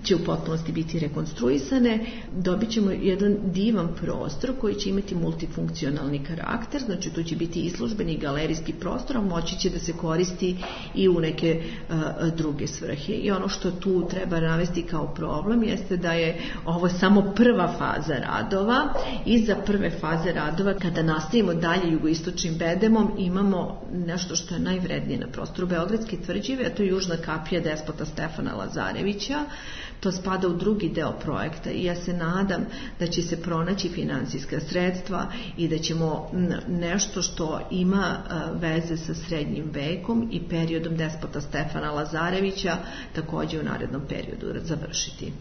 će u potpunosti biti rekonstruisane. Dobit ćemo jedan divan prostor koji će imati multifunkcionalni karakter, znači tu će biti izložbeni i galerijski prostor, a moći će da se koristi i u neke uh, druge svrhe. I ono što tu treba navesti kao problem jeste da je ovo samo prva faza radova. Iza prve faze radova, kada nastavimo dalje jugoistočnim bedemom, imamo nešto što je najvrednije na prostoru Beogradske tvrđave, a to je južna kapija despota Stefana Lazarevića. To spada u drugi deo projekta i ja se nadam da će se pronaći finansijska sredstva i da ćemo nešto što ima veze sa srednjim vekom i periodom despota Stefana Lazarevića također u narednom periodu završiti.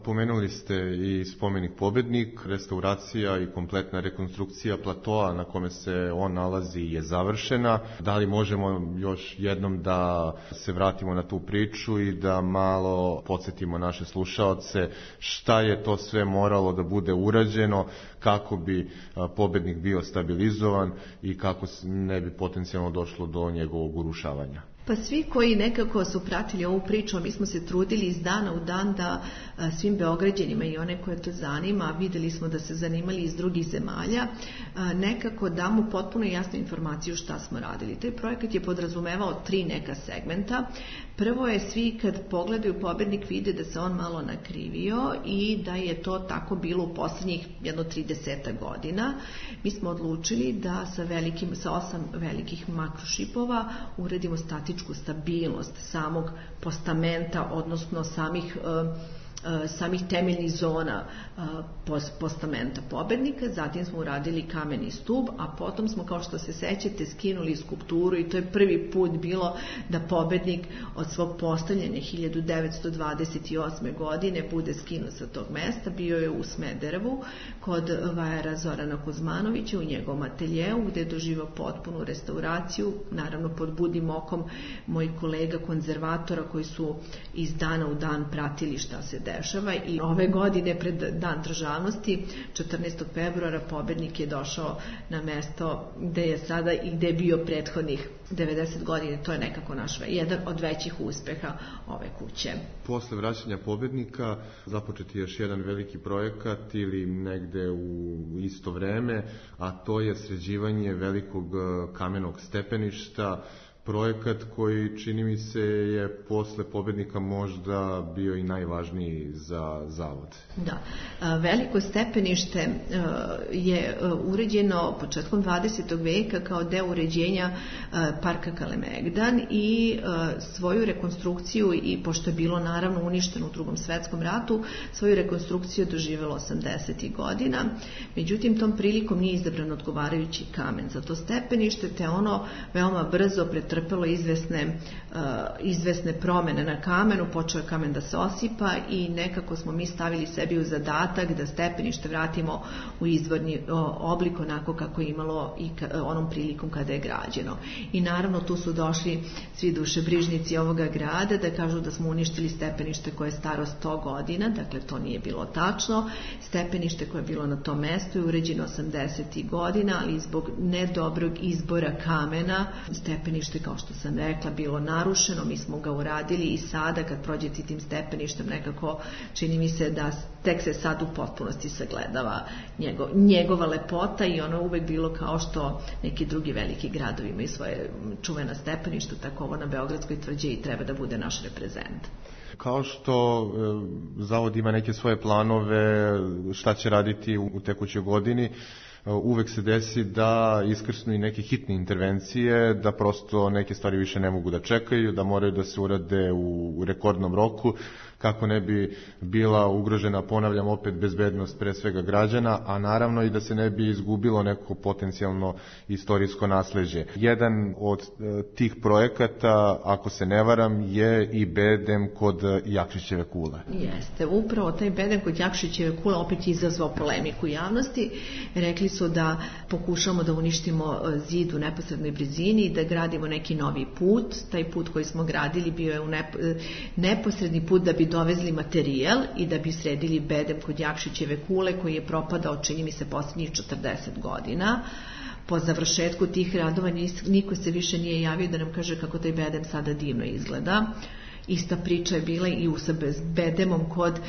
Pomenuli ste i spomenik Pobednik, restauracija i kompletna rekonstrukcija platoa na kome se on nalazi je završena. Da li možemo još jednom da se vratimo na tu priču i da malo podsjetimo naše slušaoce šta je to sve moralo da bude urađeno kako bi Pobednik bio stabilizovan i kako ne bi potencijalno došlo do njegovog urušavanja? Pa svi koji nekako su pratili ovu priču, mi smo se trudili iz dana u dan da svim Beograđanima i one koje to zanima, videli smo da se zanimali iz drugih zemalja, nekako damo potpuno jasnu informaciju šta smo radili. Taj projekat je podrazumevao tri neka segmenta. Prvo je, svi kad pogledaju Pobednik vide da se on malo nakrivio i da je to tako bilo u posljednjih jedno trideset godina. Mi smo odlučili da sa, velikim, sa osam velikih makrošipova uredimo statičku stabilnost samog postamenta, odnosno samih samih temeljnih zona postamenta Pobednika. Zatim smo uradili kameni stub, a potom smo, kao što se sećate, skinuli skulpturu i to je prvi put bilo da Pobednik od svog postavljanja hiljadu devetsto dvadeset osme. godine bude skinut sa tog mesta. Bio je u Smederevu kod vajara Zorana Kuzmanovića u njegovom ateljeu, gde je doživao potpunu restauraciju, naravno pod budnim okom mojih kolega konzervatora koji su iz dana u dan pratili šta se dešava. I ove godine pred Dan državnosti, četrnaestog februara, Pobednik je došao na mesto gde je sada i gde je bio prethodnih devedeset godina. To je nekako naš jedan od većih uspeha ove kuće. Posle vraćanja Pobednika započeti još jedan veliki projekat ili negde u isto vreme, a to je sređivanje velikog kamenog stepeništa, projekat koji, čini mi se, je posle Pobednika možda bio i najvažniji za zavod. Da. Veliko stepenište je uređeno početkom dvadesetog veka kao deo uređenja parka Kalemegdan i svoju rekonstrukciju, i pošto je bilo naravno uništeno u Drugom svetskom ratu, svoju rekonstrukciju doživjelo osamdesetih godina. Međutim, tom prilikom nije izabran odgovarajući kamen za to stepenište, te ono veoma brzo pretrpelo trpelo izvesne, uh, izvesne promene na kamenu, počeo je kamen da se osipa i nekako smo mi stavili sebi u zadatak da stepenište vratimo u izvorni uh, oblik onako kako je imalo i ka, uh, onom prilikom kada je građeno. I naravno tu su došli svi dušebrižnici ovoga grada da kažu da smo uništili stepenište koje je staro sto godina, dakle to nije bilo tačno. Stepenište koje je bilo na tom mestu je uređeno osamdesetih godina, ali zbog nedobrog izbora kamena stepenište, kao što sam rekla, bilo narušeno. Mi smo ga uradili i sada kad prođete tim stepeništem nekako čini mi se da tek se sad u potpunosti sagledava njegov, njegova lepota i ono uvek bilo kao što neki drugi veliki gradovi imaju svoje čuvena stepeništa, tako ovo na Beogradskoj tvrđavi treba da bude naš reprezent. Kao što e, zavod ima neke svoje planove šta će raditi u, u tekućoj godini, uvek se desi da iskrsnu i neke hitne intervencije, da prosto neke stvari više ne mogu da čekaju, da moraju da se urade u, u rekordnom roku, kako ne bi bila ugrožena, ponavljam opet, bezbednost pre svega građana, a naravno i da se ne bi izgubilo neko potencijalno istorijsko nasleđe. Jedan od e, tih projekata, ako se ne varam, je i bedem kod Jakšićeve kule. Jeste, upravo taj bedem kod Jakšićeve kule opet izazvao polemiku javnosti. Rekli su da pokušamo da uništimo zid u neposrednoj blizini i da gradimo neki novi put. Taj put koji smo gradili bio je u nep neposredni put da bi dovezli materijal i da bi sredili bedem kod Jakšićeve kule koji je propadao, čini mi se, posljednjih četrdeset godina. Po završetku tih radova niko se više nije javio da nam kaže kako taj bedem sada divno izgleda. Ista priča je bila i u sa Bedemom kod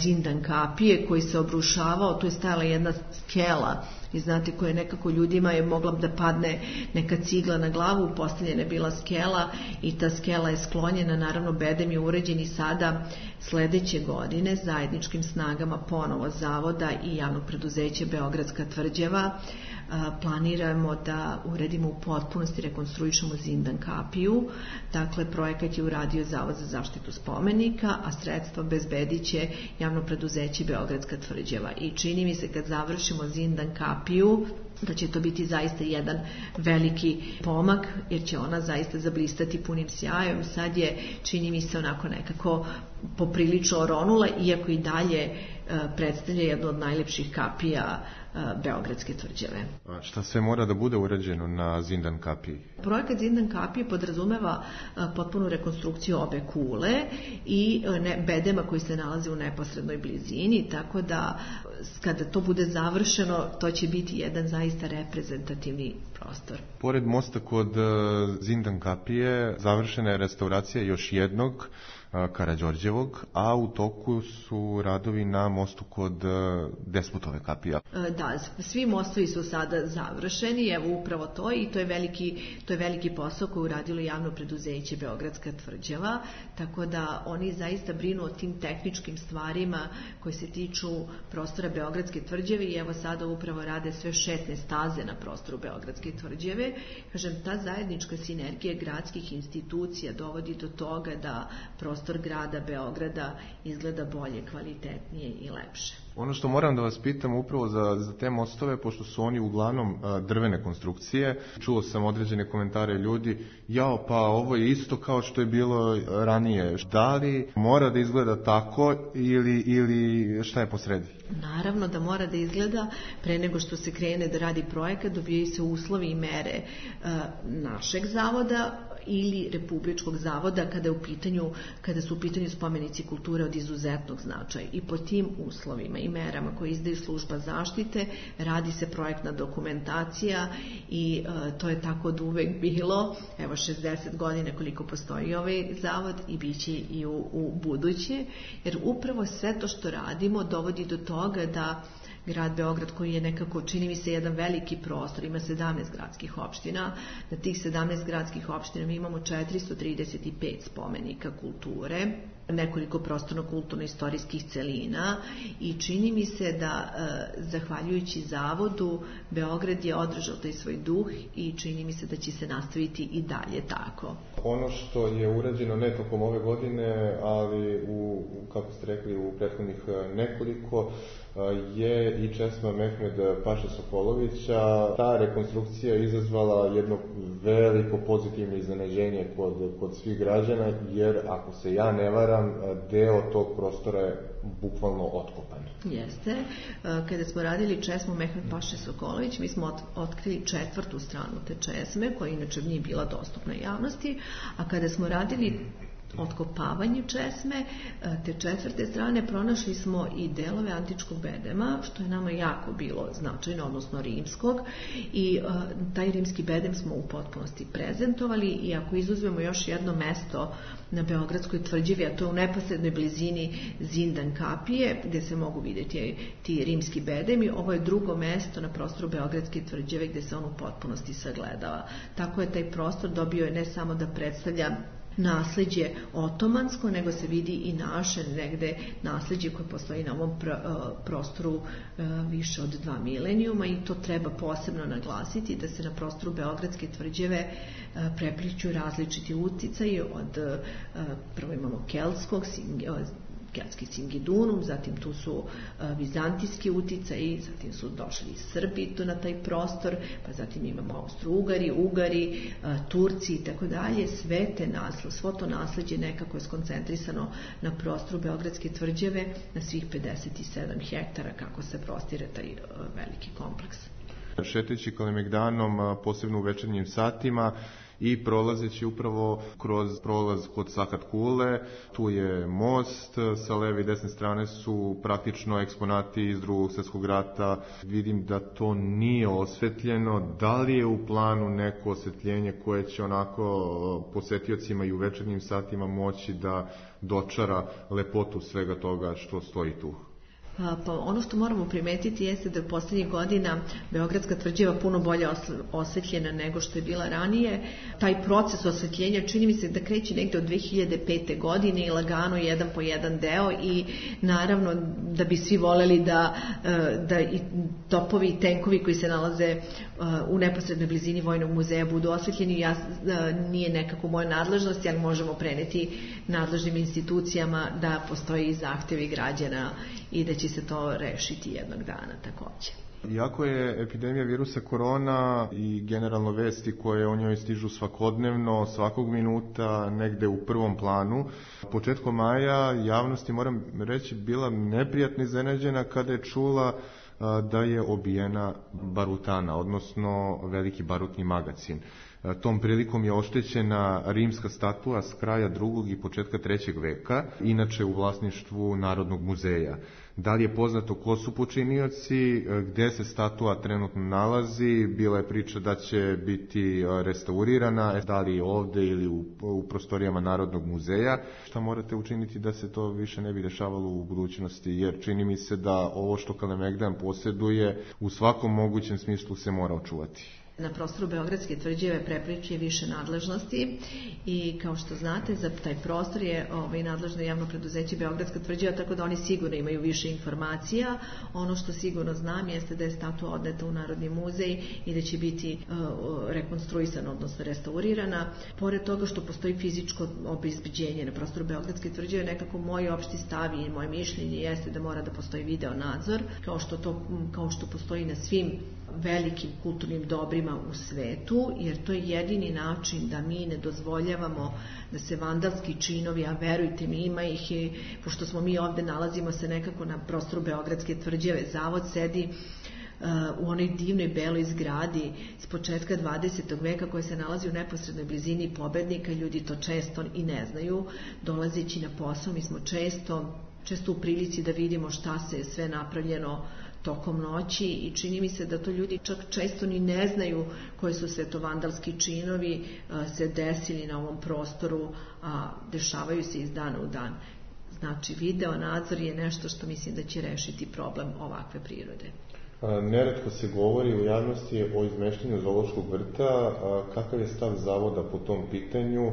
Zindan kapije koji se obrušavao, tu je stajala jedna skela i znate koje nekako ljudima je mogla da padne neka cigla na glavu, postavljena je bila skela i ta skela je sklonjena, naravno Bedem je uređen i sada sledeće godine zajedničkim snagama ponovo zavoda i javnog preduzeća Beogradska tvrđava planiramo da uredimo u potpunosti, rekonstruišemo Zindan kapiju. Dakle, projekat je uradio Zavod za zaštitu spomenika, a sredstva bezbedit će javno preduzeće Beogradska tvrđava. I čini mi se kad završimo Zindan kapiju da će to biti zaista jedan veliki pomak, jer će ona zaista zablistati punim sjajom. Sad je, čini mi se, onako nekako poprilično oronula, iako i dalje predstavlja jednu od najlepših kapija Beogradske tvrđave. A šta sve mora da bude urađeno na Zindan kapiji? Projekat Zindan kapije podrazumeva potpunu rekonstrukciju obe kule i bedema koji se nalaze u neposrednoj blizini, tako da kada to bude završeno, to će biti jedan zaista reprezentativni prostor. Pored mosta kod Zindan kapije završena je restauracija još jednog Karađorđevog, a u toku su radovi na mostu kod Despotove kapije. Da, svi mostovi su sada završeni, evo upravo to i to je veliki, to je veliki posao koji uradilo javno preduzeće Beogradska tvrđava, tako da oni zaista brinu o tim tehničkim stvarima koji se tiču prostora Beogradske tvrđave i evo sada upravo rade sve šetne staze na prostoru Beogradske tvrđave. Kažem, ta zajednička sinergija gradskih institucija dovodi do toga da prostor grada Beograda izgleda bolje, kvalitetnije i lepše. Ono što moram da vas pitam upravo za, za te mostove, pošto su oni uglavnom a, drvene konstrukcije, čuo sam određene komentare ljudi, jao pa ovo je isto kao što je bilo ranije. Da li mora da izgleda tako ili, ili šta je posredi? Naravno da mora da izgleda, pre nego što se krene da radi projekat, dobijaju se uslovi i mere a, našeg zavoda ili Republičkog zavoda kada je u pitanju, kada su u pitanju spomenici kulture od izuzetnog značaja. I po tim uslovima i merama koje izdaju služba zaštite radi se projektna dokumentacija i e, to je tako od uvek bilo, evo šezdeset godina koliko postoji ovaj zavod i bit će i u, u buduće, jer upravo sve to što radimo dovodi do toga da grad Beograd, koji je nekako, čini mi se, jedan veliki prostor, ima sedamnaest gradskih opština. Na tih sedamnaest gradskih opština mi imamo četiristo trideset pet spomenika kulture, nekoliko prostorno-kulturno-istorijskih celina i čini mi se da, e, zahvaljujući zavodu, Beograd je održao taj svoj duh i čini mi se da će se nastaviti i dalje tako. Ono što je urađeno ne tokom ove godine, ali u, kako ste rekli, u prethodnih nekoliko, je i česma Mehmed Paše Sokolovića. Ta rekonstrukcija je izazvala jedno veliko pozitivno iznenađenje kod, kod svih građana, jer ako se ja ne varam, deo tog prostora je bukvalno otkopan. Jeste. Kada smo radili česmu Mehmed Paše Sokolović, mi smo otkrili četvrtu stranu te česme, koja inače nije bila dostupna javnosti, a kada smo radili otkopavanje česme, te četvrte strane, pronašli smo i delove antičkog bedema, što je nama jako bilo značajno, odnosno rimskog, i uh, taj rimski bedem smo u potpunosti prezentovali i ako izuzmemo još jedno mesto na Beogradskoj tvrđavi, a to je u neposrednoj blizini Zindan kapije, gde se mogu vidjeti ti rimski bedemi, ovo je drugo mesto na prostoru Beogradske tvrđave gde se on u potpunosti sagledava. Tako je taj prostor dobio je ne samo da predstavlja nasleđe otomansko, nego se vidi i naše negde nasleđe koje postoji na ovom prostoru više od dva milenijuma i to treba posebno naglasiti da se na prostoru Beogradske tvrđave prepliću različiti uticaji od, prvo imamo keltskog, keltski Singidunum, zatim tu su uh, vizantijski uticaji, zatim su došli i Srbi tu na taj prostor, pa zatim imamo Austro-Ugari, Ugari, uh, Turci i tako dalje. Sve te nasled, svo to nasleđe nekako je skoncentrisano na prostoru Beogradske tvrđave, na svih pedeset sedam hektara kako se prostire taj uh, veliki kompleks. Šetajući Kalemegdanom, posebno u večernjim satima, i prolazeći upravo kroz prolaz kod Sakat Kule, tu je most, sa leve i desne strane su praktično eksponati iz Drugog svjetskog rata. Vidim da to nije osvetljeno. Da li je u planu neko osvetljenje koje će onako posetiocima i u večernjim satima moći da dočara lepotu svega toga što stoji tu? Pa ono što moramo primetiti jeste da je u posljednjih godina Beogradska tvrđava puno bolje osvetljena nego što je bila ranije. Taj proces osvetljenja čini mi se da kreće negde od dve hiljade pete. godine i lagano jedan po jedan deo i naravno da bi svi voleli da, da i topovi i tenkovi koji se nalaze u neposrednoj blizini Vojnog muzeja budu osvetljeni. Ja, nije nekako moja nadležnost, ali možemo preneti nadležnim institucijama da postoji zahtevi građana i da će se to rešiti jednog dana takođe. Iako je epidemija virusa korona i generalno vesti koje o njoj stižu svakodnevno, svakog minuta, negde u prvom planu, početkom maja javnosti, moram reći, bila neprijatno iznenađena kada je čula da je obijena barutana, odnosno veliki barutni magacin. Tom prilikom je oštećena rimska statua s kraja drugog i početka trećeg veka, inače u vlasništvu Narodnog muzeja. Da li je poznato ko su počinioci, gde se statua trenutno nalazi, bila je priča da će biti restaurirana, da li ovde ili u, u prostorijama Narodnog muzeja. Šta morate učiniti da se to više ne bi dešavalo u budućnosti, jer čini mi se da ovo što Kalemegdan posjeduje u svakom mogućem smislu se mora očuvati. Na prostoru Beogradske tvrđave prepliče više nadležnosti i kao što znate za taj prostor je ovaj, nadležno javno preduzeće Beogradska tvrđava, tako da oni sigurno imaju više informacija. Ono što sigurno znam jeste da je statua odneta u Narodni muzej i da će biti uh, rekonstruisana, odnosno restaurirana. Pored toga što postoji fizičko obezbeđenje na prostoru Beogradske tvrđave, nekako moj opšti stav i moje mišljenje jeste da mora da postoji video nadzor, kao što, to, kao što postoji na svim velikim kulturnim dobrima u svetu, jer to je jedini način da mi ne dozvoljavamo da se vandalski činovi, a verujte mi, ima ih i pošto smo mi ovde nalazimo se nekako na prostoru Beogradske tvrđave, zavod sedi uh, u onoj divnoj beloj zgradi s početka dvadesetog veka koja se nalazi u neposrednoj blizini Pobednika, ljudi to često i ne znaju, dolazeći na posao mi smo često, često u prilici da vidimo šta se je sve napravljeno tokom noći i čini mi se da to ljudi čak često ni ne znaju koji su sve to vandalski činovi se desili na ovom prostoru, a dešavaju se iz dana u dan. Znači, video nadzor je nešto što mislim da će rešiti problem ovakve prirode. Neretko se govori u javnosti o izmeštenju zoološkog vrta. Kakav je stav zavoda po tom pitanju?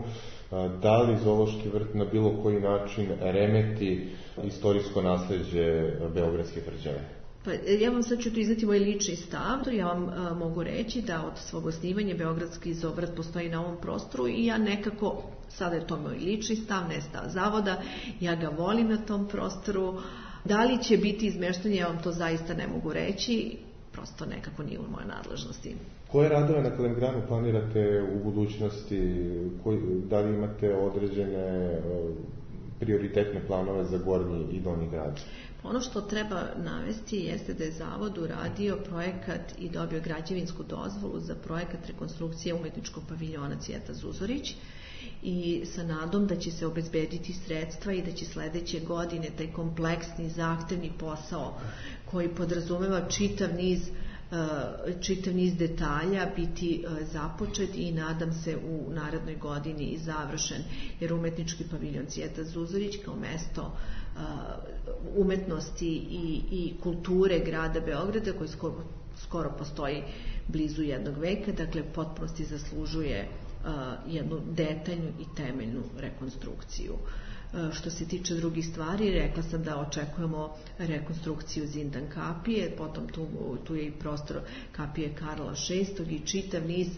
Da li zoološki vrt na bilo koji način remeti istorijsko nasleđe Beogradske tvrđave? Pa, ja vam sad ću tu izneti moj lični stav. Ja vam a, mogu reći da od svog osnivanja Beogradski zoovrt postoji na ovom prostoru i ja nekako, sada je to moj lični stav, ne stav zavoda, ja ga volim na tom prostoru. Da li će biti izmeštanje, ja vam to zaista ne mogu reći, prosto nekako nije u mojoj nadležnosti. Koje radove na Kalemegdanu planirate u budućnosti? Koji, da li imate određene prioritetne planove za Gornji i Donji grad? Ono što treba navesti jeste da je Zavod uradio projekat i dobio građevinsku dozvolu za projekat rekonstrukcije umetničkog paviljona Cvijeta Zuzorić i sa nadom da će se obezbediti sredstva i da će sledeće godine taj kompleksni, zahtevni posao koji podrazumeva čitav niz čitav niz detalja biti započet i nadam se u narednoj godini i završen, jer umetnički paviljon Cvijeta Zuzorić kao mesto umetnosti i, i kulture grada Beograda koji skoro, skoro postoji blizu jednog veka, dakle potpunosti zaslužuje jednu detaljnu i temeljnu rekonstrukciju. Što se tiče drugih stvari, rekla sam da očekujemo rekonstrukciju Zindan kapije, potom tu, tu je i prostor kapije Karla šestog i čitav niz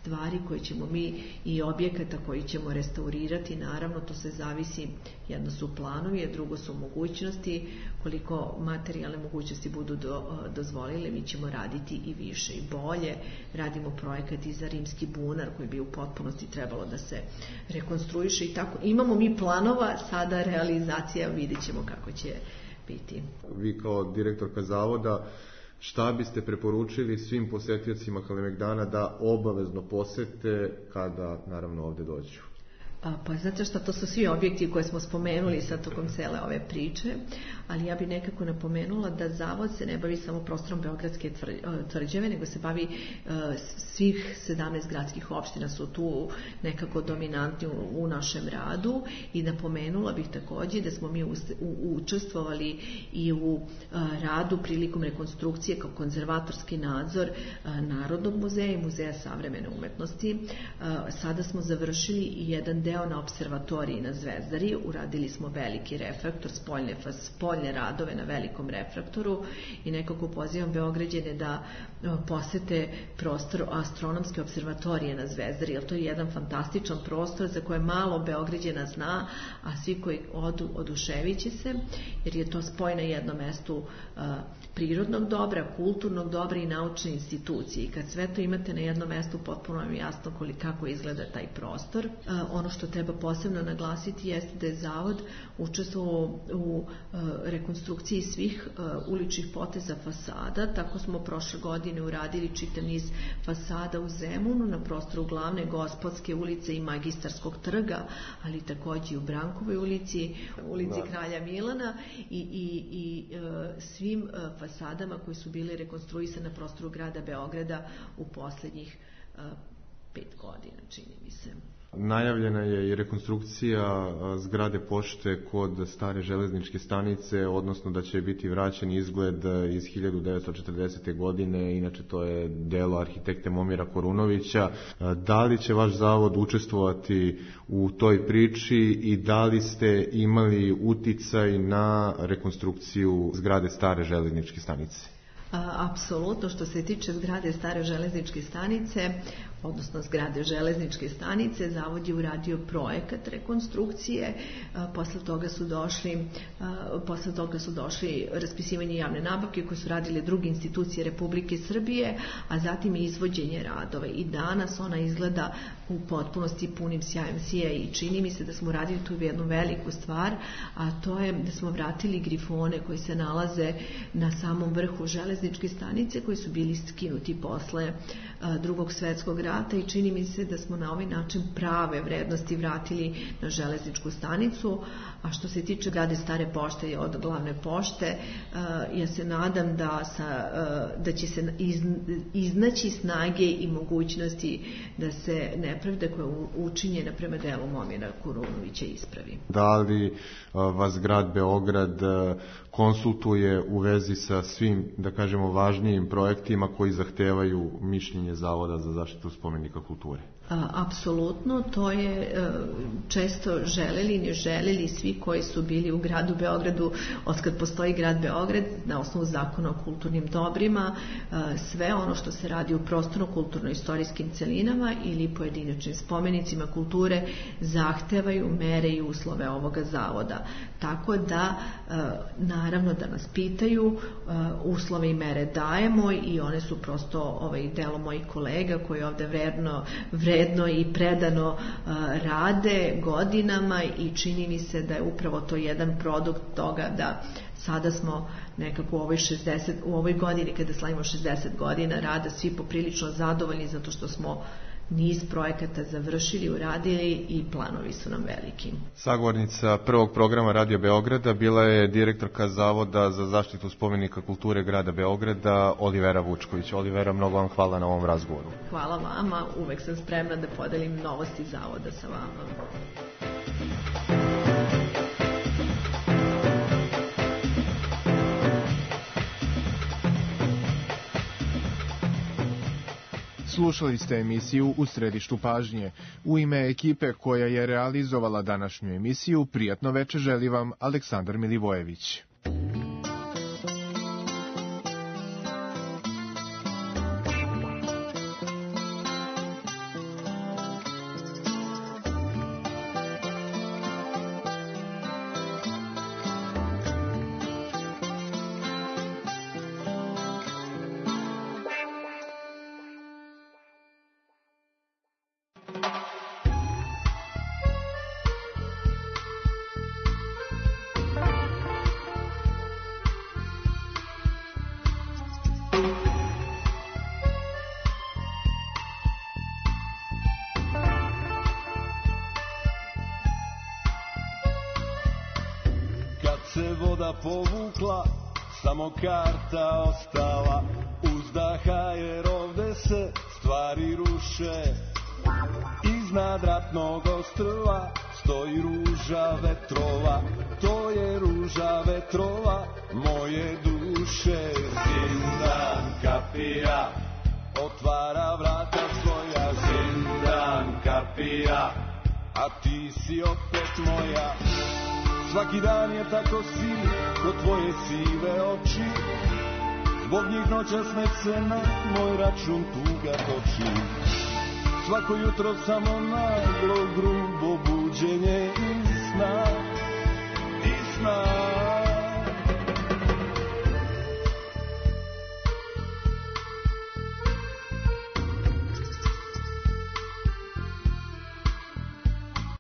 stvari koje ćemo mi i objekata koji ćemo restaurirati, naravno to se zavisi, jedno su planovi, a drugo su mogućnosti, koliko materijalne mogućnosti budu do, dozvolile, mi ćemo raditi i više i bolje. Radimo projekat i za rimski bunar koji bi u potpunosti trebalo da se rekonstruiše i tako. Imamo mi planova, sada realizacija vidjet ćemo kako će biti. Vi kao direktorka zavoda, šta biste preporučili svim posetiocima Kalemegdana da obavezno posete kada naravno ovde dođu? Pa zato što to su svi objekti koje smo spomenuli sad tokom cele ove priče, ali ja bih nekako napomenula da zavod se ne bavi samo prostorom Beogradske tvrđave, nego se bavi svih sedamnaest gradskih opština su tu nekako dominantni u našem radu i napomenula bih takođe da smo mi učestvovali i u radu prilikom rekonstrukcije kao konzervatorski nadzor Narodnog muzeja i Muzeja savremene umetnosti. Sada smo završili i jedan deo na observatoriji na Zvezdari, uradili smo veliki refraktor, spoljne, spoljne radove na velikom refraktoru i nekako pozivam Beograđane da posete prostor astronomske observatorije na Zvezdari, jer to je jedan fantastičan prostor za koje malo Beograđana zna, a svi koji odu oduševit će se, jer je to spoj na jednom mestu prirodnog dobra, kulturnog dobra i naučne institucije. I kad sve to imate na jednom mestu, potpuno vam je jasno kako izgleda taj prostor. Ono što treba posebno naglasiti jeste da je Zavod učestvovao u rekonstrukciji svih uličnih poteza fasada. Tako smo prošle godine uradili čitav niz fasada u Zemunu, na prostoru Glavne Gospodske ulice i Magistarskog trga, ali takođe i u Brankovoj ulici, ulici Kralja Milana i, i, i svim fasadama koji su bili rekonstruisani na prostoru grada Beograda u poslednjih pet godina, čini mi se. Najavljena je i rekonstrukcija zgrade pošte kod stare železničke stanice, odnosno da će biti vraćen izgled iz hiljadu devetsto četrdesete. godine, inače to je delo arhitekte Momira Korunovića. Da li će vaš zavod učestvovati u toj priči i da li ste imali uticaj na rekonstrukciju zgrade stare železničke stanice? Apsolutno, što se tiče zgrade stare železničke stanice, odnosno zgrade železničke stanice, Zavod je uradio projekat rekonstrukcije, posle toga su došli posle toga su došli raspisivanje javne nabavke koje su radile druge institucije Republike Srbije, a zatim i izvođenje radova. I danas ona izgleda u potpunosti punim sjajem sija i čini mi se da smo radili tu jednu veliku stvar, a to je da smo vratili grifone koji se nalaze na samom vrhu železničke stanice, koji su bili skinuti posle Drugog svetskog rata i čini mi se da smo na ovaj način prave vrednosti vratili na železničku stanicu. A što se tiče zgrade stare pošte od Glavne pošte, ja se nadam da, sa, da će se iznaći snage i mogućnosti da se nepravda koja je učinjena prema delu Momira Korunovića ispravi. Da li vas grad Beograd konsultuje u vezi sa svim, da kažemo, važnijim projektima koji zahtevaju mišljenje Zavoda za zaštitu spomenika kulture? Apsolutno, to je često želeli, ne želeli svi koji su bili u gradu Beogradu otkad postoji grad Beograd na osnovu zakona o kulturnim dobrima, sve ono što se radi u prostorno-kulturno-istorijskim celinama ili pojedinačnim spomenicima kulture zahtevaju mere i uslove ovoga zavoda. Tako da, naravno da nas pitaju, uslove i mere dajemo i one su prosto ovaj delo mojih kolega koji ovde vredno, vredno i predano rade godinama i čini mi se da je upravo to jedan produkt toga da sada smo nekako u ovoj, šezdeset, u ovoj godini kada slavimo šezdeset godina rada svi poprilično zadovoljni zato što smo niz projekata završili, uradili i planovi su nam veliki. Sagovornica prvog programa Radio Beograda bila je direktorka Zavoda za zaštitu spomenika kulture grada Beograda Olivera Vučković. Olivera, mnogo vam hvala na ovom razgovoru. Hvala vama, uvek sam spremna da podelim novosti Zavoda sa vama. Slušali ste emisiju U središtu pažnje. U ime ekipe koja je realizovala današnju emisiju, prijatno veče želi vam Aleksandar Milivojević. se voda povukla, samo karta ostala uzdaha, jer ovde se stvari ruše. Iznad ratnog ostrva stoji ruža vetrova, to je ruža vetrova moje duše. Zindan kapija otvara vrata svoja, zindan kapija, a ti si opet moja. Svaki dan je tako siv ko tvoje sive oči, zbog njih noćas ne se na moj račun tuga toči. Svako jutro samo naglo grubo buđenje iz sna, iz sna.